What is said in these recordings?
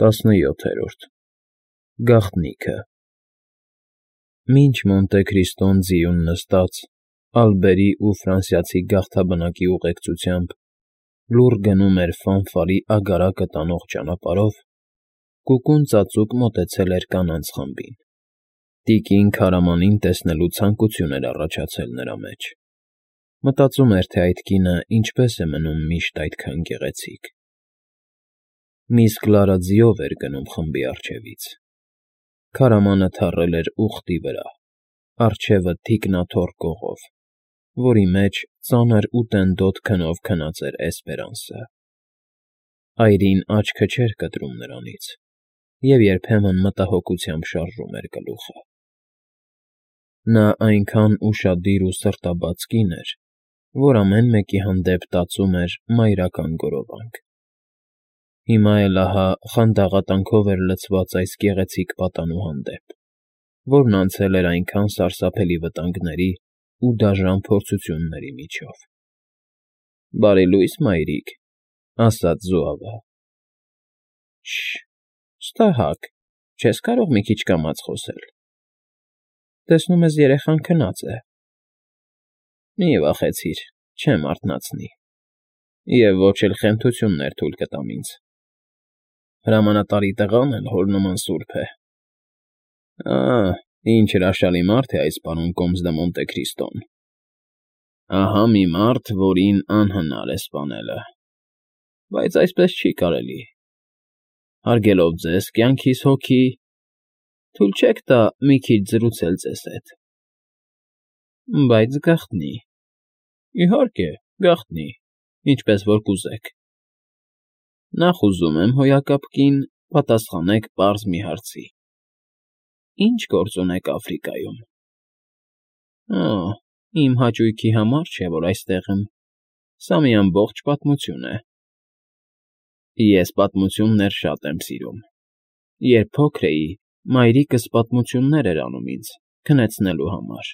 17 Գաղտնիքը Մինչ Մոնտե Քրիստոն ձիուն նստած, ալբերի ու ֆրանսիացի գաղթաբնակի ուղեկցությամբ լուռ գնում էր Ֆանֆարի ագարակը տանող ճանապարհով, կուկուն ծածուկ մոտեցել էր կանանց խմբին. տիկին Քարամանին տեսնելու ցանկություն էր առաջացել նրա մեջ. մտածում էր, թե այդ կինը ինչպես է մնում միշտ այդքան գեղեցիկ. Միս Կլարա ձիով էր գնում խմբի առջևից. Քարամանը թռել էր ուղտի վրա, առջևը թիկնաթոռ կողով, որի մեջ ծանր ու տենդոտ քնով քնած էր Էսպերանսը. այրին աչքը չէր կտրում նրանից և երբեմն մտահոգությամբ շարժում էր գլուխը. նա այնքան ուշադիր ու սրտաբաց կին էր, որ ամեն մեկի հանդեպ տածում էր մայրական գորովանք. հիմա էլ ահա խանդաղատանքով էր լցված այս գեղեցիկ պատանու հանդեպ, որն անցել էր այնքան սարսափելի վտանգների ու դաժան փորձությունների միջով։ «Բարի լույս, մայրիկ», ասաց Զուավը։ Շ֊շ֊շ, չես կարող մի քիչ կամաց խոսել։ Տեսնում ես, երեխան քնած է։ Մի վախեցիր, չեմ արթնացնի։ Եվ ոչ էլ խենթություններ թույլ կտամ ինձ։ Հրամանատարի տղան էլ հոր նման սուրբ է։ Ինչ հրաշալի մարդ է այս պարոն Կոմս դը Մոնտե Քրիստոն։ Ահա մի մարդ, որին անհնար է սպանելը։ Բայց այսպես չի կարելի։ Հարգելով ձեզ կյանքիս հոգի, թույլ չեք տա մի քիչ զրուցել ձեզ հետ։ Բայց գաղտնի։ Իհարկե, գաղտնի, ինչպես որ կուզեք։ Նախ ուզում եմ, հոյակապ կին, պատասխանեք պարզ մի հարցի. Ինչ գործ ունեք Աֆրիկայում։ Իմ հաճույքի համար չէ, որ այստեղ եմ։ Սա մի ամբողջ պատմություն է։ Ես պատմություններ շատ եմ սիրում։ Երբ փոքր էի, մայրիկս պատմություններ էր անում ինձ, քնեցնելու համար։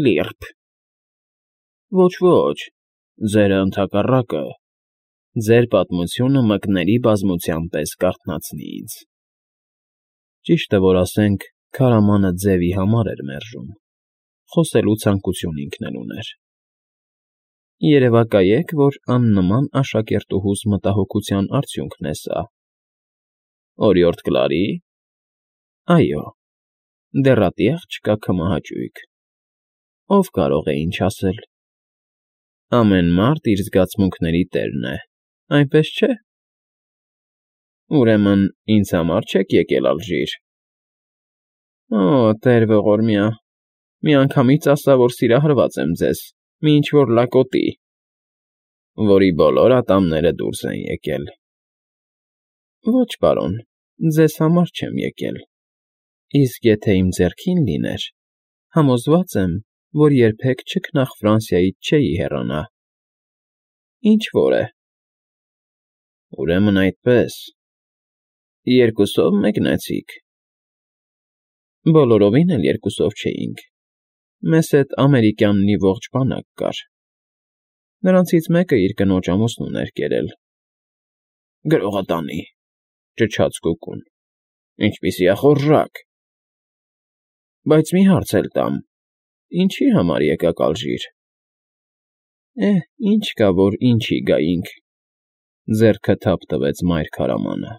Լիրբ։ Ոչ, ձերը ընդհակառակը, ձեր պատմությունը մկների բազմության պես կարթնացնի ինձ։ Ճիշտը որ ասենք, քարամանը ձևի համար էր մերժում, խոսելու ցանկություն ինքն էլ ուներ։ Երևակայեք, որ աննման աշակերտուհուս մտահոգության արդյունքն է սա։ Օրիորդ Կլարի՞։ Այո, դեռատի աղջկա քմահաճույք։ Ով կարող է ինչ ասել։ Ամեն մարդ իր զգացմունքների տերն է, այնպես չէ։ Ուրեմն ինձ համար չեք եկել ալժիր։ Տեր ողորմյա, միանգամից ասա, որ սիրահարված եմ ձեզ, մի ինչ-որ լակոտի, որի բոլոր ատամները դուրս են եկել։ Ոչ, պարոն, ձեզ համար չեմ եկել։ Իսկ եթե իմ ձեռքին լիներ, համոզված եմ, որ երբեք չքնաղ Ֆրանսիայից չէի հեռանա։ Ինչ որ է։ Ուրեմն այդպես։ Երկուսով մեկնեցիք։ Բոլորովին էլ երկուսով չէինք։ Մեզ հետ ամերիկյան մի ողջ բանակ կար։ Նրանցից մեկը իր կնոջ ամուսնուն էր կերել։ Գրողը տանի, ճչաց կուկուն։ Ինչպիսի ախորժակ։ Բայց մի հարց էլ տամ. ինչի համար եկաք ալժիր։ Ինչ կա, որ ինչի գայինք, ձեռքը թափ տվեց մայր քարամանը։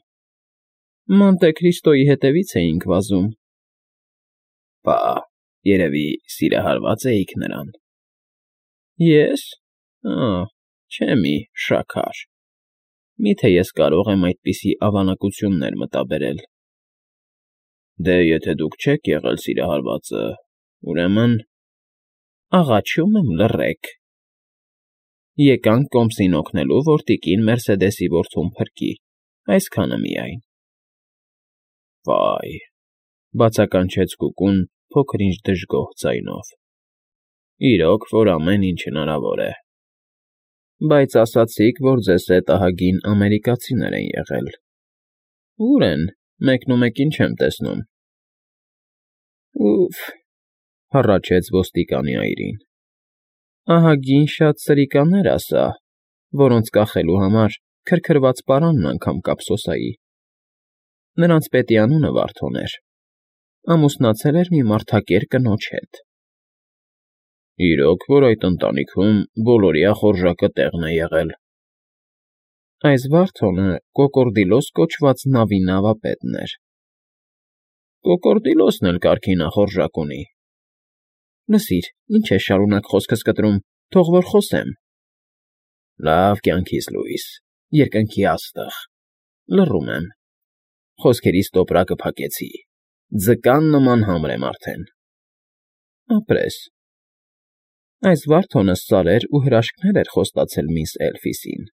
Մոնտե Քրիստոյի հետևից էինք վազում։ Բա, երևի սիրահարված էիք նրան։ Ես։ Չէ մի, շաքար։ Միթե ես կարող եմ այդպիսի ավանակություններ մտաբերել։ Դե եթե դուք չեք եղել սիրահարվածը, ուրեմն… Աղաչում եմ, լռեք։ Եկանք Կոմսին օգնելու, որ տիկին Մերսեդեսի որդուն փրկի, այսքանը միայն։ Վայ, բացականչեց կուկուն փոքր-ինչ դժգոհ ձայնով։ Իրոք, որ ամեն ինչ հնարավոր է։ Բայց ասացիք, որ ձեզ հետ ահագին ամերիկացիներ են եղել։ Ո՞ւր են, մեկնումեկին չեմ տեսնում։ Ուֆ, հառաչեց ոստիկանի այրին։ Ահագին շատ սրիկաներ ասա, որոնց կախելու համար քրքրված պարանն անգամ կափսոսայի։ Նրանց պետի անունը Վարդոն էր, ամուսնացել էր մի մարդակեր կնոջ հետ։ Իրոք, որ այդ ընտանիքում բոլորիա խորժակը տեղն է եղել։ Այս Վարդոնը Կոկորդիլոս կոչված նավի նավապետն էր։ Կոկորդիլոսն էլ կարգի նախորժակ ունի։ Լսիր, ինչ ես շարունակ խոսքս կտրում, թող որ խոսեմ։ Լավ կյանքիս լույս, երկնքի աստղ, լռում եմ։ Խոսքերիս տոպրակը փակեցի, ձկան նման համր եմ արդեն։ Ապրես։ Այս Վարդոնը սարեր ու հրաշքներ էր խոստացել միս Էլֆիսին։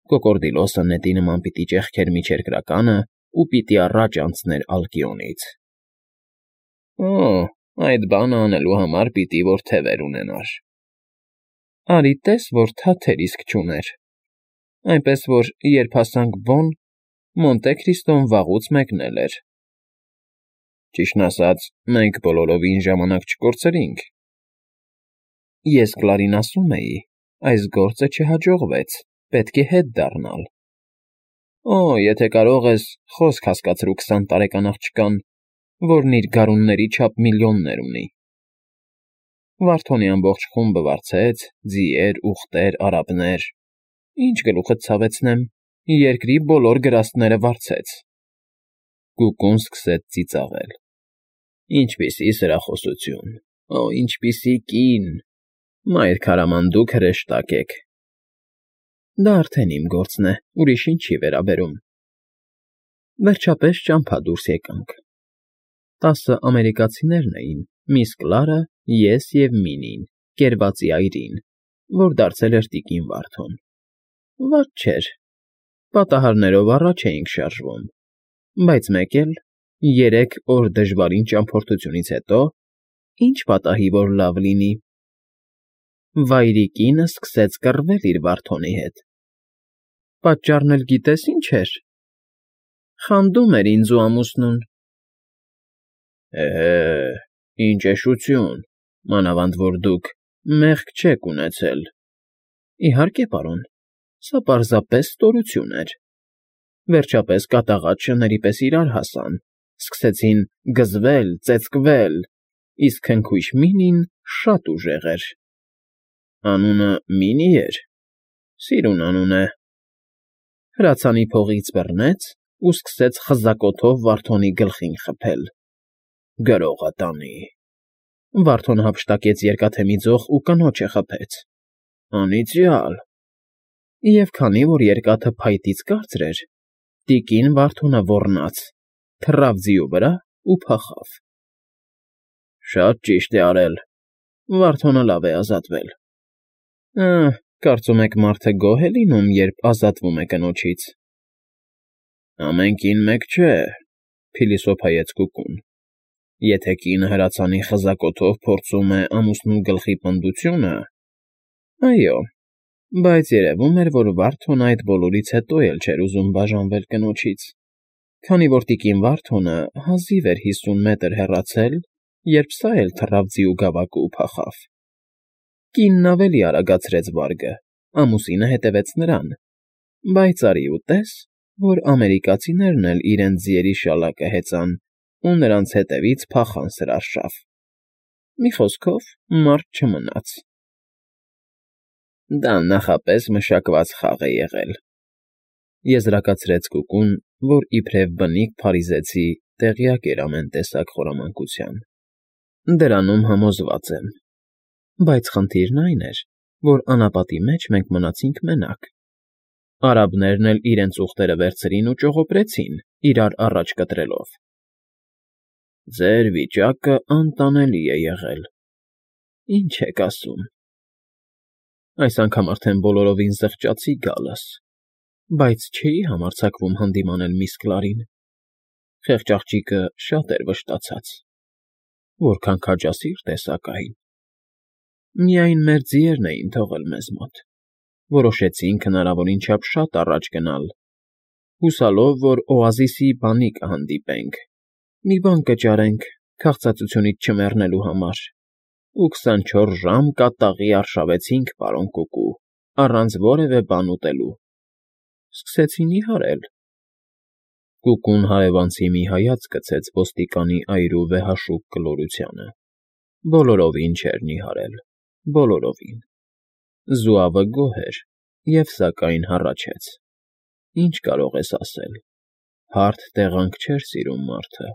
Կոկորդիլոսը նետի նման պիտի ճեղքեր միջերկրականը ու պիտի առաջ անցներ Ալկիոնից։ Օ, այդ բանը անելու համար պիտի որ թևեր ունենար։ Արի տես, որ թաթեր իսկ չուներ։ Այնպես որ, երբ հասանք Բոն, Մոնտե Քրիստոն վաղուց մեկնել էր։ Ճիշտն ասած, մենք բոլորովին ժամանակ չկորցրինք։ Ես Կլարին ասում էի, այս գործը չհաջողվեց, պետք է հետ դառնալ։ Օ, եթե կարող ես, խոսք հասկացրու 20 տարեկան աղջկան, որն իր գարունների չափ միլիոններ ունի։ Վարդոնի ամբողջ խումբը վարձեց, ձիեր, ուղտեր, արաբներ։ Ինչ գլուխդ ցավեցնեմ, երկրի բոլոր գրաստները վարձեց։ Կուկուն սկսեց ծիծաղել։ Ինչպիսի սրախոսություն, օ, ինչպիսի կին, մայր քարամանդուկ հրեշտակ եք։ Դա արդեն իմ գործն է, ուրիշին չի վերաբերում։ Վերջապես ճամփա դուրս եկանք։ 10 ամերիկացիներն էին, միս Կլարը, ես և Մինին, կերվածի այրին, որ դարձել էր տիկին Վարդոն։ Վատ չէր, պատահարներով առաջ էինք շարժվում, բայց մեկ էլ 3 օր դժվարին ճամփորդությունից հետո ինչ պատահի, որ լավ լինի։ Վայրիկինը սկսեց կռվել իր Վարդոնի հետ։ Պատճառն էլ գիտես ինչ էր։ Խանդում էր ինձ ու ամուսնուն։ Ինչ էշություն, մանավանդ որ դուք մեղք չեք ունեցել։ Իհարկե, պարոն, սա պարզապես ստորություն էր։ Վերջապես կատաղած շների պես իրար հասան, սկսեցին գզվել, ծեծկվել, իսկ քնքույշ Մինին շատ ուժեղ էր։ Անունը Մինի էր, սիրուն անուն է։ Հրացանի փողից բռնեց ու սկսեց խզակոթով Վարդոնի գլխին խփել։ Գրողը տանի։ Վարդոնը հափշտակեց երկաթե մի ձող ու կնոջը խփեց։ Անիծյալ։ Եվ քանի որ երկաթը փայտից կարծր էր, տիկին Վարդոնը ոռնաց, թռավ ձիու վրա ու փախավ։ Շատ ճիշտ է արել։ Վարդոնը լավ է ազատվել։ Կարծում եք մարդը գոհ է լինում, երբ ազատվում է կնոջից։ Ամեն կին մեկ չէ, փիլիսոփայեց Կուկուն։ Եթե կինը հրացանի խզակոթով փորձում է ամուսնու գլխի պնդությունը, այո, բայց երևում էր, որ Վարդոնը այդ բոլորից հետո էլ չէր ուզում բաժանվել կնոջից, քանի որ տիկին Վարդոնը հազիվ էր 50 մետր հեռացել, երբ սա էլ թռավ ձիու գավակը ու փախավ։ Կինն ավելի արագացրեց վարգը, ամուսինը հետևեց նրան, բայց արի ու տես, որ ամերիկացիներն էլ իրենց ձիերի շալակը հեծան ու նրանց հետևից փախան սրարշավ։ Մի խոսքով, մարդ չմնաց։ Դա նախապես մշակված խաղ է եղել, եզրակացրեց Կուկուն, որ իբրև բնիկ փարիզեցի տեղյակ էր ամեն տեսակ խորամանկության։ Դրանում համոզված եմ, բայց խնդիրն այն էր, որ անապատի մեջ մենք մնացինք մենակ։ Արաբներն էլ իրենց ուղտերը վերցրին ու ճողոպրեցին, իրար առաջ կտրելով։ Ձեր վիճակը անտանելի է եղել։ Ինչ եք ասում։ Այս անգամ արդեն բոլորովին զղջացի գալս, բայց չէի համարձակվում հանդիմանել միս Կլարին։ Խեղճ աղջիկը շատ էր վշտացած։ Որքան քաջասիրտ է, սակայն։ Միայն մեր ձիերն էին թողել մեզ մոտ։ Որոշեցինք հնարավորին չափ շատ առաջ գնալ, հուսալով, որ օազիսի բանի կհանդիպենք, մի բան կճարենք քաղցածությունից չմեռնելու համար, ու 24 ժամ կատաղի արշավեցինք, պարոն Կուկու, առանց որևէ բան ուտելու։ սկսեցին նիհարել։ Կուկուն հարևանցի մի հայացք գցեց ոստիկանի այրու վեհաշուկ կլորությանը։ Բոլորովին չէր նիհարել, բոլորովին։ Զուավը գոհ էր և, սակայն, հառաչեց. ինչ կարող ես ասել, հարթ տեղանք չէր սիրում մարդը։